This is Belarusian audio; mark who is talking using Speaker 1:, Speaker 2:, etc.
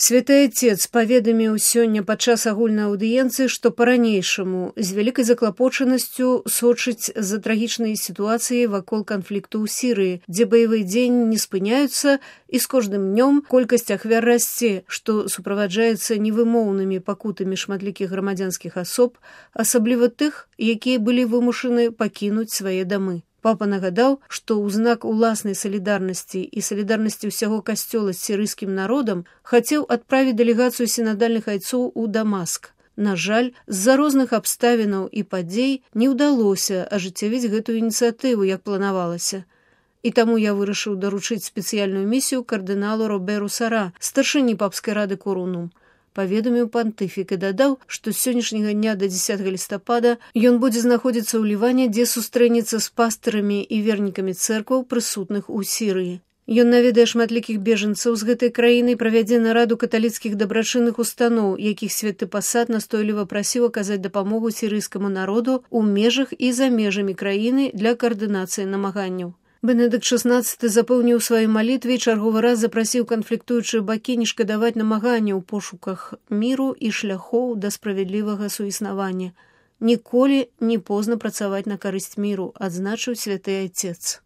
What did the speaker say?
Speaker 1: Святы Отец паведаміў сёння падчас агульнай аўдыенцыі, што па-ранейшаму з вялікай заклапочанасцю сочыць за трагічнай сітуацыяй вакол канфлікту ў Сірыі, дзе баявыя дзеянні не спыняюцца і з кожным днём колькасць ахвяр расце, што суправаджаецца невымоўнымі пакутамі шматлікіх грамадзянскіх асоб, асабліва тых, якія былі вымушаны пакінуць свае дамы. Папа нагадаў, што ў знак уласнай салідарнасці і салідарнасці ўсяго касцёла з сірыйскім народам хацеў адправіць дэлегацыю сінадальных айцоў у Дамаск. На жаль, з-за розных абставінаў і падзей не ўдалося ажыццявіць гэтую ініцыятыву, як планавалася. І таму я вырашыў даручыць спецыяльную місію кардыналу Роберу Сара, старшыні папскай рады Корунум. Паведаміў пантыфік і дадаў, што з сённяшняга дня да 10 лістапада ён будзе знаходзіцца ў Ліване, дзе сустрэнецца з пастырамі і вернікамі цэркваў, прысутных у Сірыі. Ён наведае шматлікіх бежанцаў з гэтай краіны і правядзе нараду каталіцкіх дабрачынных устаноў, якіх святы пасад настойліва прасіў аказаць дапамогу сірыйскаму народу ў межах і за межамі краіны для каардынацыі намаганняў. Бенедыкт XVI запэўніў у сваёй малітве і чарговы раз запрасіў канфліктуючыя бакі не шкадаваць намагання ў пошуках міру і шляхоў да справядлівага суіснавання. Ніколі не позна працаваць на карысць міру, адзначыў святы Отец.